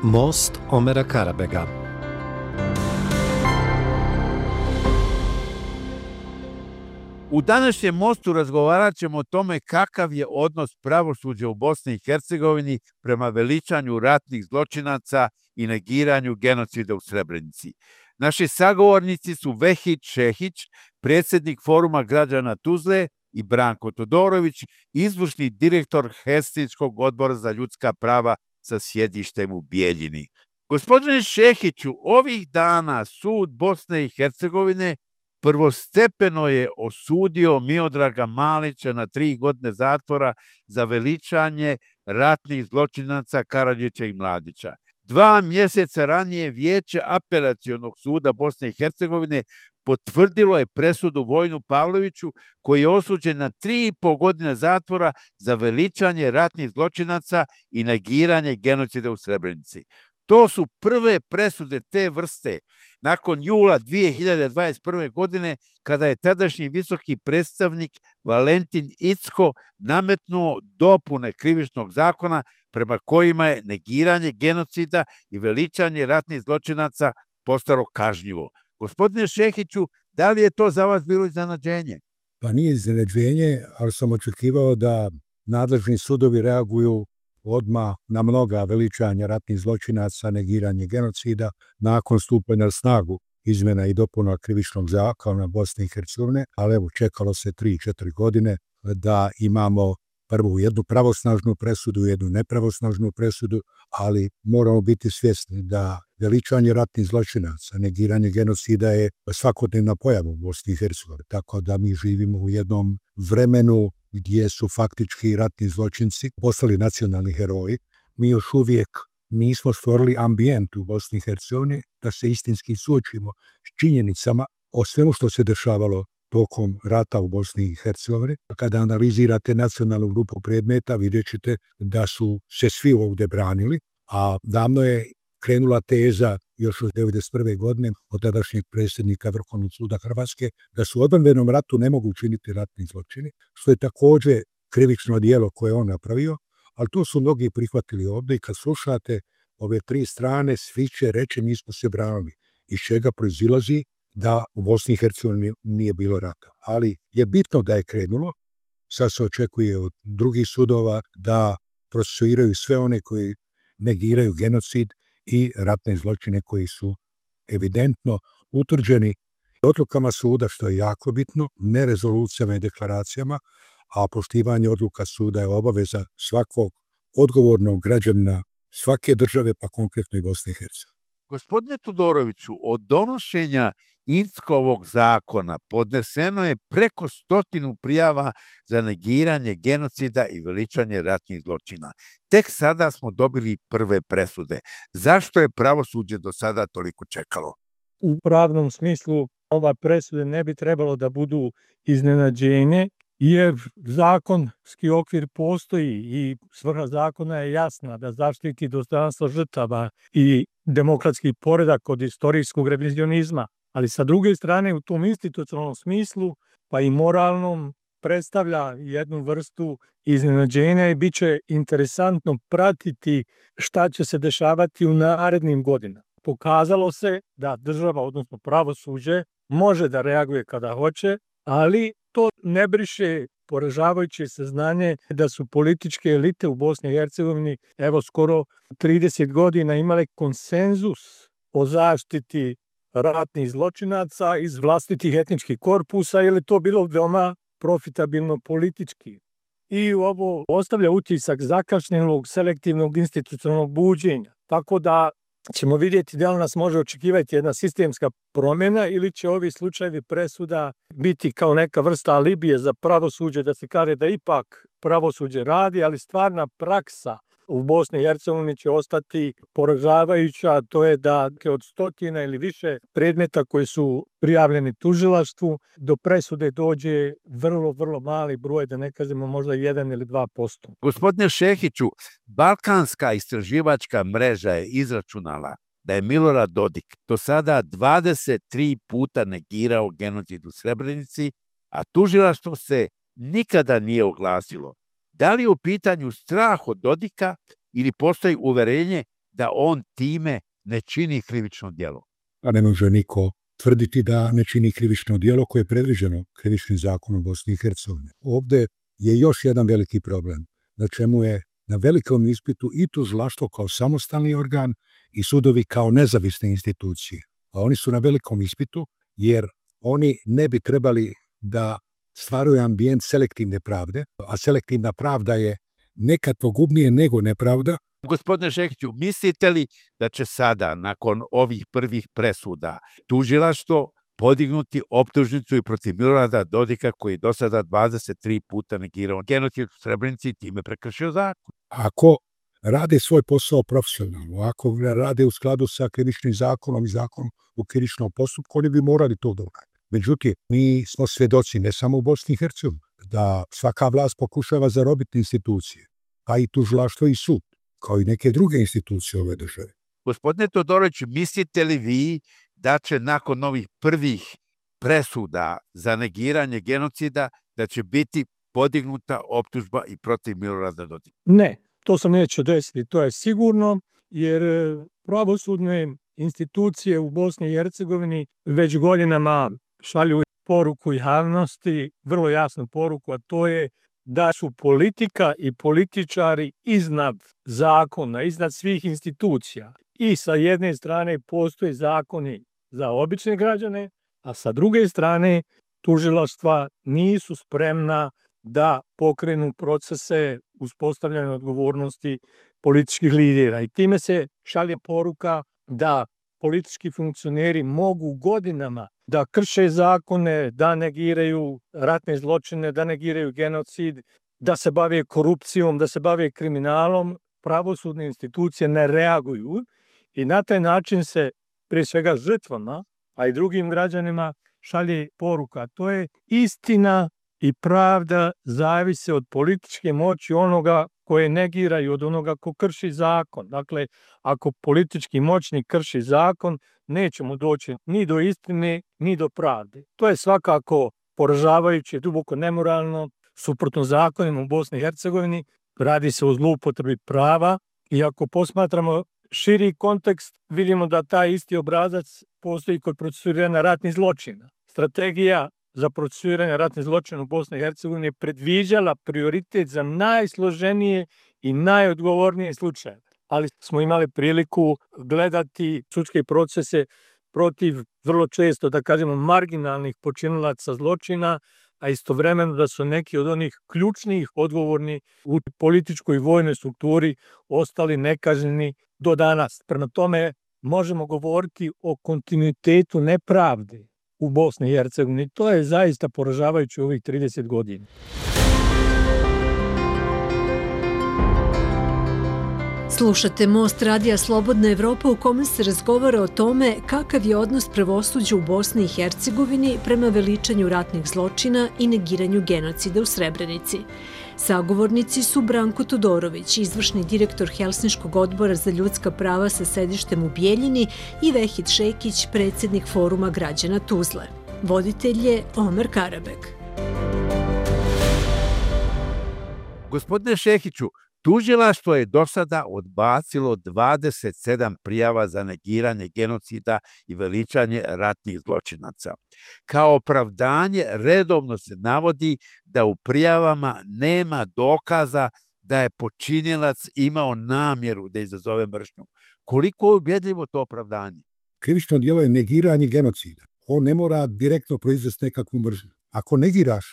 Most Omera Karabega. U današnjem mostu razgovarat ćemo o tome kakav je odnos pravosuđa u Bosni i Hercegovini prema veličanju ratnih zločinaca i negiranju genocida u Srebrenici. Naši sagovornici su Vehid Šehić, predsjednik Foruma građana Tuzle, i Branko Todorović, izvršni direktor Helsinškog odbora za ljudska prava sa sjedištem u Bijeljini. Gospodine Šehiću, ovih dana sud Bosne i Hercegovine prvostepeno je osudio Miodraga Malića na 3 godine zatvora za veličanje ratnih zločinaca Karadžića i Mladića. 2 mjeseca ranije Vijeće apelacionog suda Bosne i Hercegovine potvrdilo je presudu Vojinu Pavloviću, koji je osuđen na 3,5 godine zatvora za veličanje ratnih zločinaca i negiranje genocida u Srebrenici. To su prve presude te vrste nakon jula 2021. godine, kada je tadašnji visoki predstavnik Valentin Incko nametnuo dopune krivičnog zakona prema kojima je negiranje genocida i veličanje ratnih zločinaca postalo kažnjivo. Gospodine Šehiću, da li je to za vas bilo iznenađenje? Pa nije iznenađenje, ali sam očekivao da nadležni sudovi reaguju odmah na mnoga veličanja ratnih zločinaca, negiranje genocida, nakon stupanja na snagu izmjena i dopuna krivičnog zakona Bosne i Hercegovine, ali evo, čekalo se 3-4 godine da imamo prvu jednu pravosnažnu presudu, jednu nepravosnažnu presudu, ali moramo biti svjesni da veličanje ratnih zločinaca, negiranje genocida je svakodnevna pojava u Bosni i Hercegovini, tako da mi živimo u jednom vremenu gdje su faktički ratni zločinci postali nacionalni heroji. Mi još uvijek nismo stvorili ambijent u Bosni i Hercegovini da se istinski suočimo s činjenicama o svemu što se dešavalo tokom rata u Bosni i Hercegovini. Kada analizirate nacionalnu grupu predmeta, vidjet ćete da su se svi ovdje branili, a davno je krenula teza još od 1991. godine od tadašnjeg predsjednika Vrhovnog suda Hrvatske da su u odbrambenom ratu ne mogu učiniti ratni zločini, što je također krivično djelo koje on napravio, ali to su mnogi prihvatili ovdje i kad slušate ove 3 strane, svi će reći mi smo se branili, iz čega proizilazi da u Bosni i Hercegovini nije bilo rata. Ali je bitno da je krenulo, sad se očekuje od drugih sudova da procesuiraju sve one koji negiraju genocid i ratne zločine koji su evidentno utvrđeni odlukama suda, što je jako bitno, ne rezolucijama i deklaracijama, a poštivanje odluka suda je obaveza svakog odgovornog građanina svake države, pa konkretno i Bosne i Hercegovine. Gospodine Todoroviću, od donošenja Inckovog zakona podneseno je preko 100 prijava za negiranje genocida i veličanje ratnih zločina. Tek sada smo dobili prve presude. Zašto je pravosuđe do sada toliko čekalo? U pravnom smislu ova presude ne bi trebalo da budu iznenađenje, jer zakonski okvir postoji i svrha zakona je jasna da zaštiti dostojanstvo žrtava i demokratski poredak od istorijskog revizionizma. Ali sa druge strane, u tom institucionalnom smislu, pa i moralnom, predstavlja jednu vrstu iznenađenja i bit će interesantno pratiti šta će se dešavati u narednim godinama. Pokazalo se da država, odnosno pravosuđe, može da reaguje kada hoće, ali to ne briše poražavajuće saznanje da su političke elite u Bosni i Hercegovini evo skoro 30 godina imale konsenzus o zaštiti ratnih zločinaca iz vlastitih etničkih korpusa, jer je to bilo veoma profitabilno politički. I ovo ostavlja utisak zakašnjelog selektivnog institucionalnog buđenja. Tako da ćemo vidjeti da li nas može očekivati jedna sistemska promjena ili će ovi slučajevi presuda biti kao neka vrsta alibije za pravosuđe, da se kaže da ipak pravosuđe radi, ali stvarna praksa u Bosni i Hercegovini će ostati poražavajuća, to je da od 100 ili više predmeta koji su prijavljeni tužilaštvu, do presude dođe vrlo mali broj, da ne kažemo možda 1 ili 2%. Gospodine Šehiću, Balkanska istraživačka mreža je izračunala da je Milorad Dodik do sada 23 puta negirao genocid u Srebrenici, a tužilaštvo se nikada nije oglasilo. Da li je u pitanju strah od Dodika ili postoji uverenje da on time ne čini krivično djelo. A ne može niko tvrditi da ne čini krivično djelo koje je predviđeno krivičnim zakonom Bosne i Hercegovine. Ovde je još jedan veliki problem, na čemu je na velikom ispitu i tužilaštvo kao samostalni organ i sudovi kao nezavisne institucije. A oni su na velikom ispitu jer oni ne bi trebali da stvaraju ambijent selektivne pravde, a selektivna pravda je nekad pogubnije nego nepravda. Gospodine Šehiću, mislite li da će sada, nakon ovih prvih presuda, tužilaštvo podignuti optužnicu i protiv Milorada Dodika, koji do sada 23 puta negirao genocid u Srebrenici i time prekršio zakon? Ako rade svoj posao profesionalno, ako ga rade u skladu sa krivičnim zakonom i zakonom o krivičnom postupku, oni bi morali to da urade. Međutim, mi smo svedoci, ne samo u Bosni i Hercegovini, da svaka vlast pokušava zarobiti institucije, pa i tužilaštvo i sud, kao i neke druge institucije ove države. Gospodine Todoroviću, mislite li vi da će nakon ovih prvih presuda za negiranje genocida da će biti podignuta optužba i protiv Milorada Dodika? Ne, to se neće desiti, to je sigurno, jer pravosudne institucije u Bosni i Hercegovini već godinama šalju poruku javnosti, vrlo jasnu poruku, a to je da su politika i političari iznad zakona, iznad svih institucija. I sa jedne strane postoje zakoni za obične građane, a sa druge strane tužilaštva nisu spremna da pokrenu procese uspostavljanja odgovornosti političkih lidera. I time se šalje poruka da politički funkcioneri mogu godinama da krše zakone, da negiraju ratne zločine, da negiraju genocid, da se bave korupcijom, da se bave kriminalom. Pravosudne institucije ne reaguju i na taj način se prije svega žrtvama, a i drugim građanima šalje poruka. To je istina i pravda zavise od političke moći onoga koje negira i od onoga ko krši zakon. Dakle, ako politički moćnik krši zakon, nećemo doći ni do istine, ni do pravde. To je svakako poražavajuće, duboko nemoralno, suprotno zakonima u Bosni i Hercegovini. Radi se o zloupotrebi prava i ako posmatramo širi kontekst, vidimo da taj isti obrazac postoji kod procesuiranja ratnih zločina. Strategija za procesuiranje ratnih zločina u Bosni i Hercegovini je predviđala prioritet za najsloženije i najodgovornije slučajeve. Ali smo imali priliku gledati sudske procese protiv vrlo često, da kažemo, marginalnih počinilaca zločina, a istovremeno da su neki od onih ključnih odgovorni u političkoj i vojnoj strukturi ostali nekažnjeni do danas. Prema tome možemo govoriti o kontinuitetu nepravde u Bosni i Hercegovini. To je zaista poražavajuće u ovih 30 godina. Slušate Most radija Slobodna Evropa u kome se razgovara o tome kakav je odnos pravosuđa u Bosni i Hercegovini prema veličanju ratnih zločina i negiranju genocida u Srebrenici. Sagovornici su Branko Todorović, izvršni direktor Helsinškog odbora za ljudska prava sa sedištem u Bijeljini i Vehid Šekić, predsjednik Foruma građana Tuzle. Voditelj je Omer Karabek. Gospodine Šehiću, tužilaštvo je do sada odbacilo 27 prijava za negiranje genocida i veličanje ratnih zločinaca. Kao opravdanje redovno se navodi da u prijavama nema dokaza da je počinilac imao namjeru da izazove mržnju. Koliko je ubjedljivo to opravdanje? Krivično djelo je negiranje genocida. On ne mora direktno proizvesti nekakvu mržnju. Ako negiraš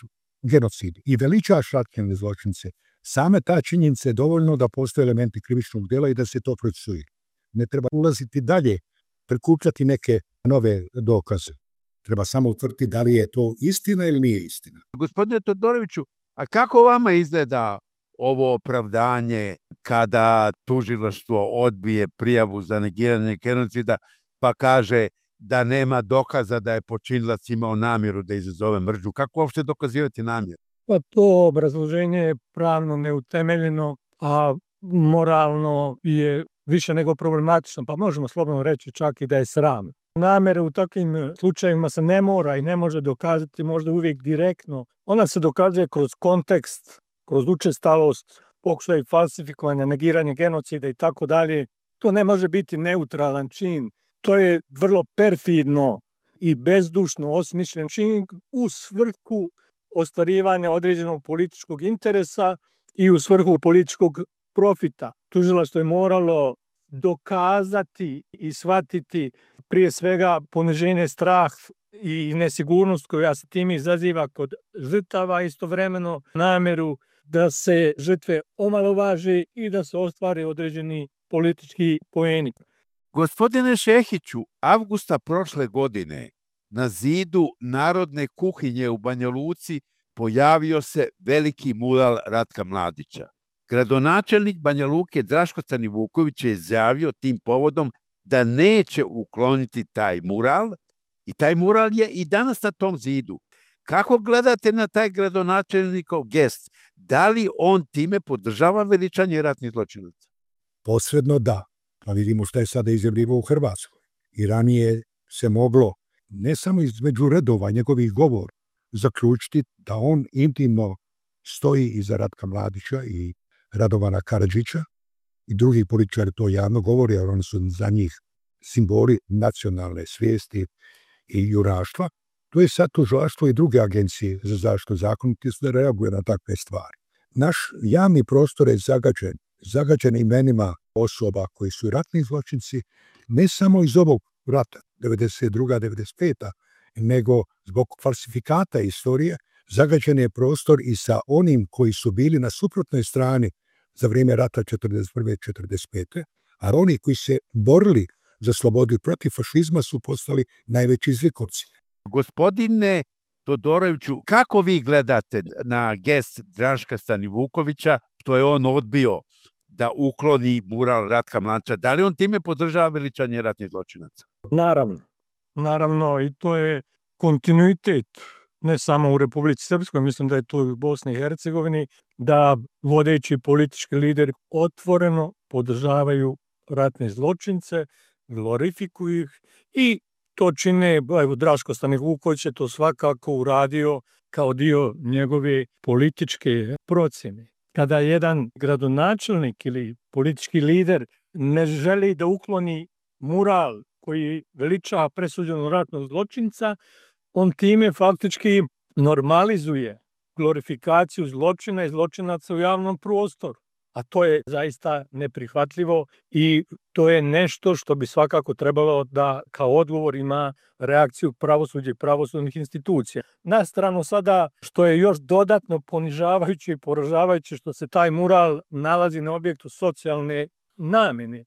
genocid i veličaš ratne zločince, same ta činjenica je dovoljno da postoje elementi krivičnog djela i da se to procesuira. Ne treba ulaziti dalje, prikupljati neke nove dokaze. Treba samo utvrditi da li je to istina ili nije istina. Gospodine Todoroviću, a kako vama izgleda ovo opravdanje kada tužilaštvo odbije prijavu za negiranje genocida pa kaže da nema dokaza da je počinilac imao namjeru da izazove mržnju? Kako uopšte dokazivati namjeru? Pa to obrazloženje je pravno neutemeljeno, a moralno je više nego problematično, pa možemo slobodno reći čak i da je sram. Namere u takvim slučajevima se ne mora i ne može dokazati možda uvijek direktno. Ona se dokazuje kroz kontekst, kroz učestalost, pokušaj falsifikovanja, negiranje genocida i tako dalje. To ne može biti neutralan čin. To je vrlo perfidno i bezdušno osmišljen čin u svrhu ostvarivanja određenog političkog interesa i u svrhu političkog profita. Tužilaštvo je moralo dokazati i shvatiti prije svega poniženje, strah i nesigurnost koja se tim izaziva kod žrtava, istovremeno nameru da se žrtve omalovaže i da se ostvare određeni politički poeni. Gospodine Šehiću, avgusta prošle godine na zidu Narodne kuhinje u Banja Luci pojavio se veliki mural Ratka Mladića. Gradonačelnik Banja Luke Draško Stanivuković je izjavio tim povodom da neće ukloniti taj mural i taj mural je i danas na tom zidu. Kako gledate na taj gradonačelnikov gest? Da li on time podržava veličanje ratnih zločinaca? Posredno da. Pa vidimo šta je sada izjavljivo u Hrvatskoj. I ranije se moglo, ne samo između redova njegovih govora, zaključiti da on intimno stoji iza Ratka Mladića i Radovana Karadžića i drugih političara to javno govori, jer oni su za njih simboli nacionalne svijesti i juraštva. To je sad tužilaštvo i druge agencije za zaštitu zakonitosti da reaguje na takve stvari. Naš javni prostor je zagađen imenima osoba koji su ratni zločinci, ne samo iz ovog rata, 92. 95. nego zbog falsifikata istorije, zagađen je prostor i sa onim koji su bili na suprotnoj strani za vrijeme rata 41. 45. A oni koji se borili za slobodu i protiv fašizma su postali najveći zlikovci. Gospodine Todoroviću, kako vi gledate na gest Draška Stanivukovića, što je on odbio da ukloni mural Ratka Mladića? Da li on time podržava veličanje ratnih zločinaca? Naravno, i to je kontinuitet, ne samo u Republici Srpskoj, mislim da je to i u Bosni i Hercegovini, da vodeći politički lideri otvoreno podržavaju ratne zločince, glorifikuju ih i to čine, evo Draško Stanivuković je to svakako uradio kao dio njegove političke procjene. Kada jedan gradonačelnik ili politički lider ne želi da ukloni mural koji veliča presuđenog ratnog zločinca, on time faktički normalizuje glorifikaciju zločina i zločinaca u javnom prostoru. A to je zaista neprihvatljivo i to je nešto što bi svakako trebalo da kao odgovor ima reakciju pravosuđa i pravosudnih institucija. Na stranu sada što je još dodatno ponižavajuće i poražavajuće što se taj mural nalazi na objektu socijalne namene.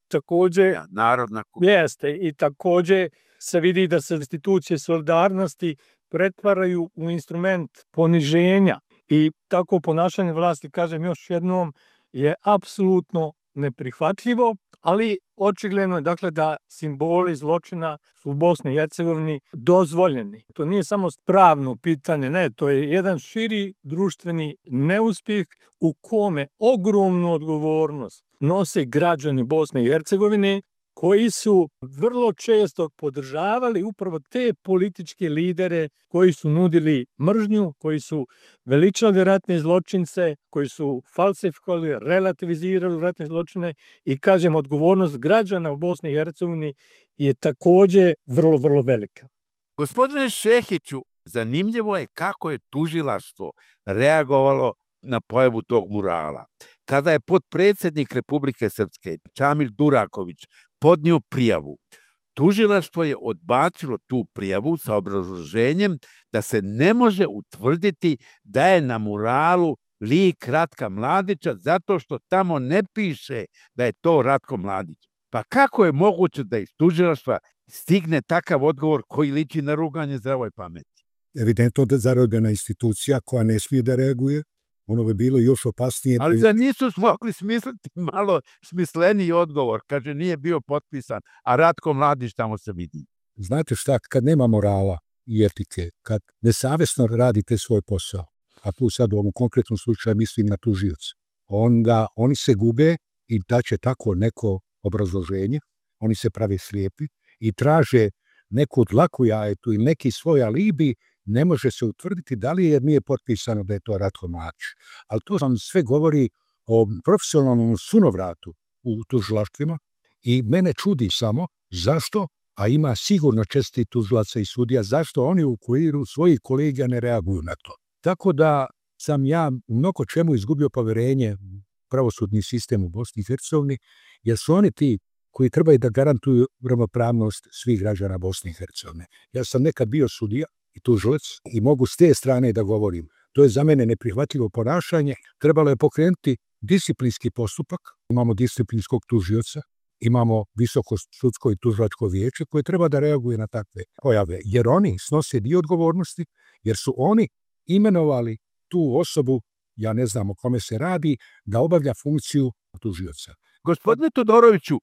Takođe, Narodna jeste i takođe se vidi da se institucije solidarnosti pretvaraju u instrument poniženja i tako ponašanje vlasti, kažem još jednom, je apsolutno neprihvatljivo, ali očigledno je dakle da simboli zločina su u Bosni i Hercegovini dozvoljeni. To nije samo pravno pitanje, ne, to je jedan širi društveni neuspjeh u kome ogromnu odgovornost nose građani Bosne i Hercegovine koji su vrlo često podržavali upravo te političke lidere koji su nudili mržnju, koji su veličali ratne zločince, koji su falsifikovali, relativizirali ratne zločine i kažem, odgovornost građana u Bosni i Hercegovini je takođe vrlo, vrlo velika. Gospodine Šehiću, zanimljivo je kako je tužilaštvo reagovalo na pojavu tog murala. Kada je potpredsjednik Republike Srpske, Čamil Duraković, podnio prijavu, tužilaštvo je odbacilo tu prijavu sa obrazloženjem da se ne može utvrditi da je na muralu lik Ratka Mladića zato što tamo ne piše da je to Ratko Mladić. Pa kako je moguće da iz tužilaštva stigne takav odgovor koji liči na ruganje zdravoj pameti? Evidentno da zarobljena institucija koja ne smije da reaguje, ono bi bilo još opasnije. Ali da nisu mogli smisliti malo smisleniji odgovor, kaže nije bio potpisan, a Ratko Mladić tamo se vidi. Znate šta, kad nema morala i etike, kad nesavesno radite svoj posao, a tu sad u ovom konkretnom slučaju mislim na tužioce, onda oni se gube i daće tako neko obrazloženje, oni se prave slijepi i traže neku dlaku jajetu ili neki svoj alibi, ne može se utvrditi da li jer nije potpisano da je to Ratko Mladić. Ali to vam sve govori o profesionalnom sunovratu u tužilaštvima, I mene čudi samo zašto, a ima sigurno čestitih tužilaca i sudija, zašto oni u okviru svojih kolega ne reaguju na to. Tako da sam ja u mnogo čemu izgubio poverenje u pravosudni sistem u Bosni i Hercegovini, jer su oni ti koji trebaju da garantuju ravnopravnost svih građana Bosne i Hercegovine. Ja sam nekad bio sudija i tužilac i mogu s te strane da govorim. To je za mene neprihvatljivo ponašanje. Trebalo je pokrenuti disciplinski postupak. Imamo disciplinskog tužioca, imamo visoko sudsko i tužilačko vijeće koje treba da reaguje na takve pojave, jer oni snose dio odgovornosti, jer su oni imenovali tu osobu, ja ne znam o kome se radi, da obavlja funkciju tužioca. Gospodine Todoroviću,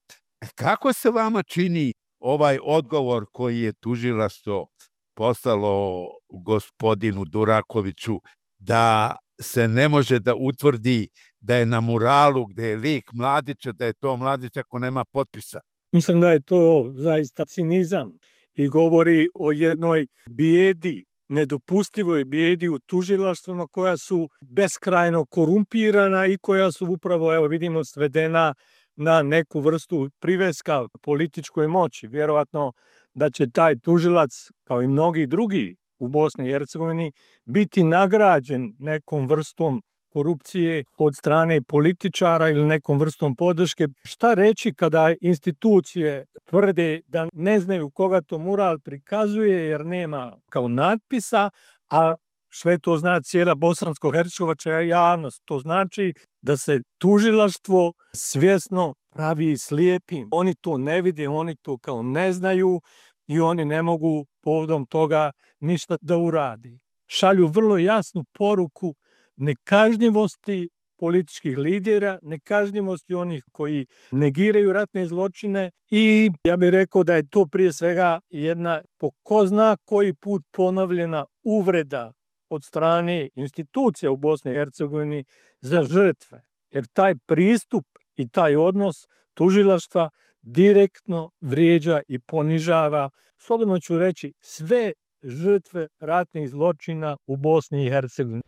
kako se vama čini ovaj odgovor koji je tužilaštvo poslalo gospodinu Durakoviću da se ne može da utvrdi da je na muralu gde je lik Mladića, da je to Mladić ako nema potpisa? Mislim da je to zaista cinizam i govori o jednoj bijedi, nedopustivoj bijedi u tužilaštvima koja su beskrajno korumpirana i koja su upravo, evo vidimo, svedena na neku vrstu priveska političkoj moći. Vjerovatno da će taj tužilac, kao i mnogi drugi u Bosni i Hercegovini, biti nagrađen nekom vrstom korupcije od strane političara ili nekom vrstom podrške. Šta reći kada institucije tvrde da ne znaju koga to mural prikazuje jer nema kao natpisa, a sve to zna cijela bosansko-hercegovačka javnost. To znači da se tužilaštvo svjesno pravi slijepim. Oni to ne vide, oni to kao ne znaju i oni ne mogu povodom toga ništa da uradi. Šalju vrlo jasnu poruku nekažnjivosti političkih lidera, nekažnjivosti onih koji negiraju ratne zločine i ja bih rekao da je to prije svega jedna po ko zna koji put ponovljena uvreda od strane institucija u Bosni i Hercegovini za žrtve. Jer taj pristup i taj odnos tužilaštva direktno vrijeđa i ponižava, slobodno ću reći, sve žrtve ratnih zločina u Bosni i Hercegovini.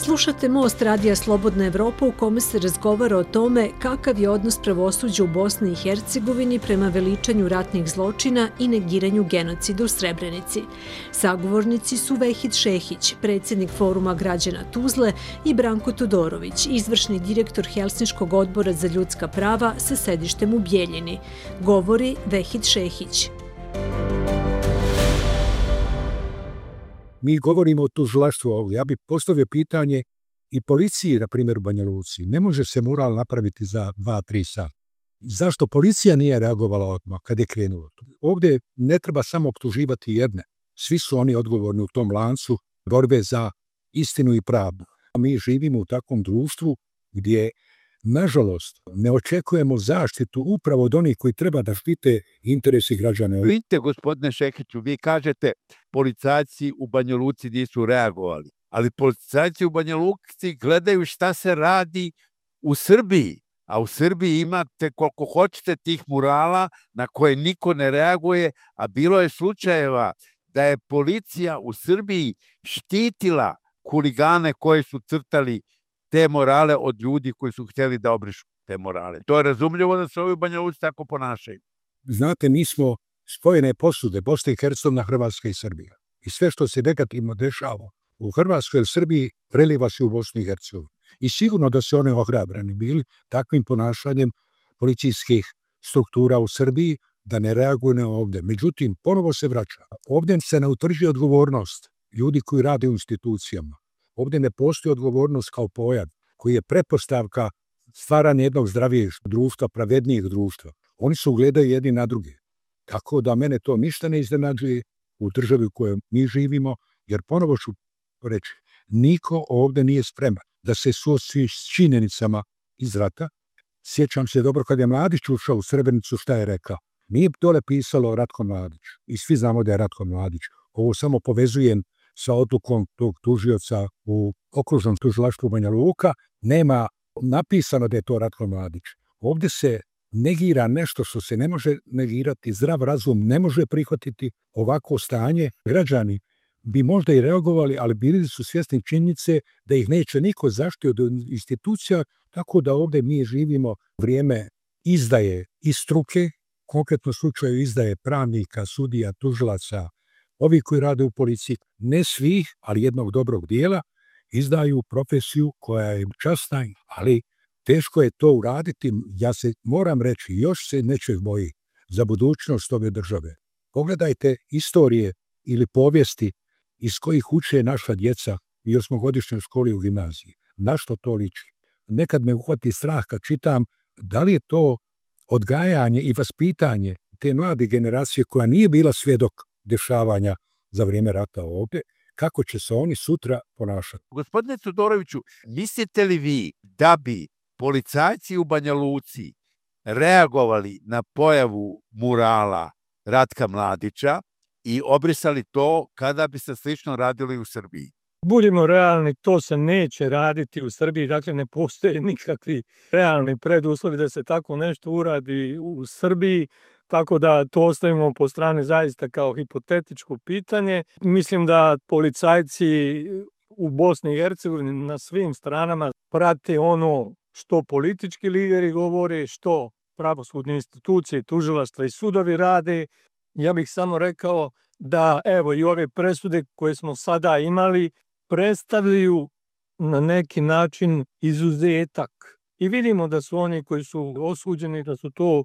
Slušate Most radija Slobodna Evropa u kome se razgovara o tome kakav je odnos pravosuđa u Bosni i Hercegovini prema veličanju ratnih zločina i negiranju genocida u Srebrenici. Sagovornici su Vehid Šehić, predsjednik Foruma građana Tuzle, i Branko Todorović, izvršni direktor Helsinškog odbora za ljudska prava sa sedištem u Bijeljini. Govori Vehid Šehić. Mi govorimo o tužilaštvu ovdje. Ja bih postavio pitanje i policiji, na primjer u Banja Luci. Ne može se mural napraviti za 2-3 sata. Zašto policija nije reagovala odmah kad je krenulo? Ovdje ne treba samo optuživati jedne. Svi su oni odgovorni u tom lancu borbe za istinu i pravdu. Mi živimo u takvom društvu gdje, nažalost, ne očekujemo zaštitu upravo od onih koji treba da štite interesi građana. Vidite, gospodine Šehiću, vi kažete policajci u Banja Luci nisu reagovali, ali policajci u Banja Luci gledaju šta se radi u Srbiji, a u Srbiji imate koliko hoćete tih murala na koje niko ne reaguje, a bilo je slučajeva da je policija u Srbiji štitila huligane koji su crtali te morale od ljudi koji su htjeli da obrišu te morale. To je razumljivo da se ovi u Banja Luci tako ponašaju. Znate, mi smo spojene posude, Bosna i Hercegovina, Hrvatska i Srbija. I sve što se negativno dešava u Hrvatskoj ili Srbiji preliva se u Bosnu i Hercegovinu. I sigurno da se one ohrabrani bili takvim ponašanjem policijskih struktura u Srbiji da ne reaguju na ovdje. Međutim, ponovo se vraća. Ovdje se ne utvrđuje odgovornost ljudi koji rade u institucijama. Ovdje ne postoji odgovornost kao pojam koji je pretpostavka stvaranja jednog zdravijeg društva, pravednijeg društva. Oni se ugledaju jedni na druge. Tako da mene to ništa ne iznenađuje u državi u kojoj mi živimo, jer ponovo ću reći, niko ovdje nije spreman da se suoči s činjenicama iz rata. Sjećam se dobro kad je Mladić ušao u Srebrenicu, šta je rekao. Nije dole pisalo Ratko Mladić i svi znamo da je Ratko Mladić. Ovo samo povezujem sa odlukom tog tužioca u okružnom tužilaštvu Banja Luka. Nema napisano da je to Ratko Mladić. Ovdje se negira nešto što se ne može negirati, zdrav razum ne može prihvatiti ovako stanje. Građani bi možda i reagovali, ali bili su svjesni činjenice da ih neće niko zaštiti od institucija, tako da ovde mi živimo vrijeme izdaje iz struke, konkretno slučaju izdaje pravnika, sudija, tužilaca, ovi koji rade u policiji, ne svih, ali jednog dobrog dijela, izdaju profesiju koja je časna, ali teško je to uraditi. Ja se moram reći, još se nečeg boji za budućnost ove države. Pogledajte istorije ili povijesti iz kojih uče naša djeca i osmogodišnjoj školi u gimnaziji. Na što to liči? Nekad me uhvati strah kad čitam da li je to odgajanje i vaspitanje te mlade generacije koja nije bila svjedok dešavanja za vrijeme rata ovdje, kako će se oni sutra ponašati. Gospodine Todoroviću, mislite li vi da bi policajci u Banja Luci reagovali na pojavu murala Ratka Mladića i obrisali to kada bi se slično radili u Srbiji? Budimo realni, to se neće raditi u Srbiji, dakle ne postoje nikakvi realni preduslovi da se tako nešto uradi u Srbiji, tako da to ostavimo po strani zaista kao hipotetičko pitanje. Mislim da policajci u Bosni i Hercegovini na svim stranama prate ono što politički lideri govore, što pravosudne institucije, tužilaštva i sudovi rade. Ja bih samo rekao da evo i ove presude koje smo sada imali predstavljaju na neki način izuzetak. I vidimo da su oni koji su osuđeni, da su to,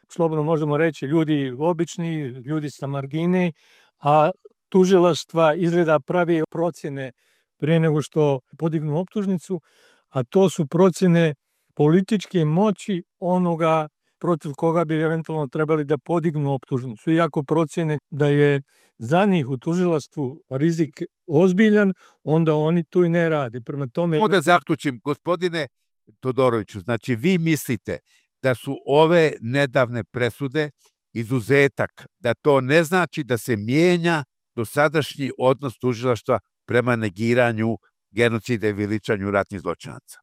slobodno možemo reći, ljudi obični, ljudi sa margine, a tužilaštva izgleda pravi procjene prije nego što podignu optužnicu, a to su procjene političke moći onoga protiv koga bi eventualno trebali da podignu optužnicu. Iako procjene da je za njih u tužilaštvu rizik ozbiljan, onda oni to i ne rade. Prema tome... Da zaključim, gospodine Todoroviću, znači vi mislite da su ove nedavne presude izuzetak, da to ne znači da se mijenja dosadašnji odnos tužilaštva prema negiranju genocida i veličanju ratnih zločinaca?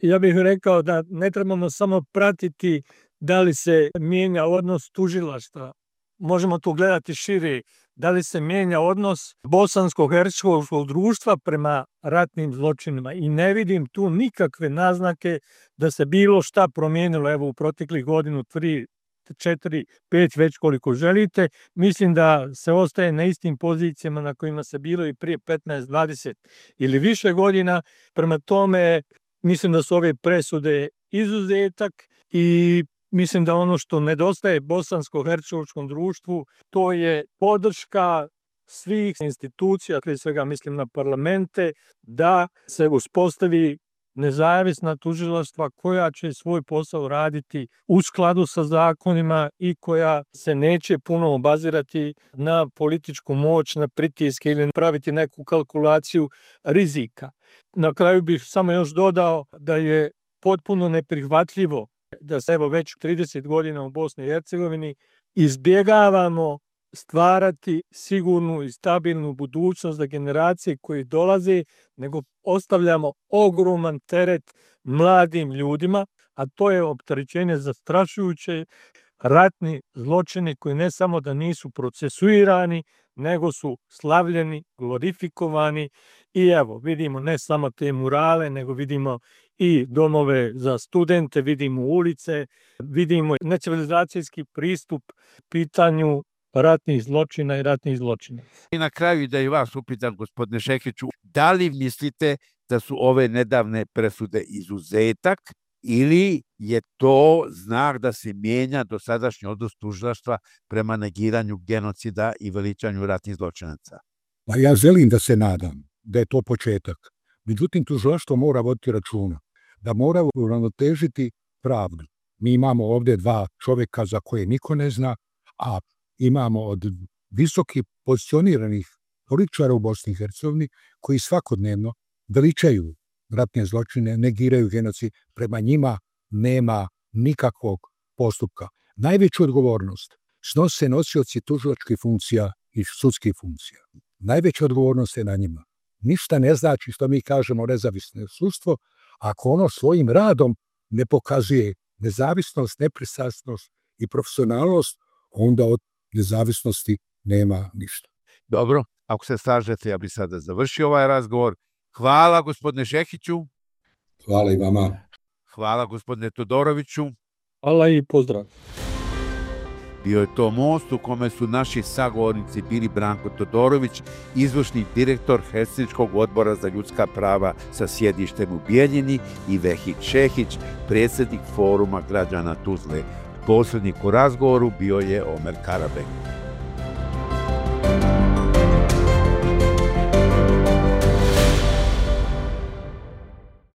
Ja bih rekao da ne trebamo samo pratiti da li se mijenja odnos tužilaštva. Možemo to gledati šire. Da li se mijenja odnos bosansko-hercegovačkog društva prema ratnim zločinima. I ne vidim tu nikakve naznake da se bilo šta promijenilo evo u proteklih godinu, 3, 4, 5, već koliko želite. Mislim da se ostaje na istim pozicijama na kojima se bilo i prije 15, 20 ili više godina. Prema tome, mislim da su ove presude izuzetak i mislim da ono što nedostaje bosansko-hercegovačkom društvu, to je podrška svih institucija, prije svega mislim na parlamente, da se uspostavi nezavisna tužilaštva koja će svoj posao raditi u skladu sa zakonima i koja se neće puno obazirati na političku moć, na pritiske ili praviti neku kalkulaciju rizika. Na kraju bih samo još dodao da je potpuno neprihvatljivo da se evo već 30 godina u Bosni i Hercegovini izbjegavamo stvarati sigurnu i stabilnu budućnost za generacije koje dolaze, nego ostavljamo ogroman teret mladim ljudima, a to je opterećenje zastrašujuće, ratni zločini koji ne samo da nisu procesuirani, nego su slavljeni, glorifikovani i evo vidimo ne samo te murale, nego vidimo i domove za studente, vidimo ulice, vidimo necivilizacijski pristup pitanju ratnih zločina i ratnih zločina. I na kraju da i vas upitam, gospodine Šekiću, da li mislite da su ove nedavne presude izuzetak ili je to znak da se mijenja dosadašnji odnos tužilaštva prema negiranju genocida i veličanju ratnih zločinaca? Pa ja želim da se nadam da je to početak. Međutim, tužilaštvo mora voditi računa, da mora uravnotežiti pravdu. Mi imamo ovdje dva čovjeka za koje niko ne zna, a imamo od visoki pozicioniranih političara u Bosni i Hercegovini koji svakodnevno veličaju ratne zločine, negiraju genocid, prema njima nema nikakvog postupka. Najveću odgovornost snose nosioci tužilačkih funkcija i sudskih funkcija. Najveća odgovornost je na njima. Ništa ne znači što mi kažemo nezavisno sudstvo, ako ono svojim radom ne pokazuje nezavisnost, nepristrasnost i profesionalnost, onda od nezavisnosti nema ništa. Dobro, Ako se slažete, ja bih sada završio ovaj razgovor. Hvala gospodine Šehiću. Hvala i vama. Hvala gospodine Todoroviću. Hvala i pozdrav. Bio je to most u kome su naši sagovornici bili Branko Todorović, izvršni direktor Helsinškog odbora za ljudska prava sa sjedištem u Bijeljini, i Vehid Šehić, predsjednik Foruma građana Tuzle. Posrednik u razgovoru bio je Omer Karabek.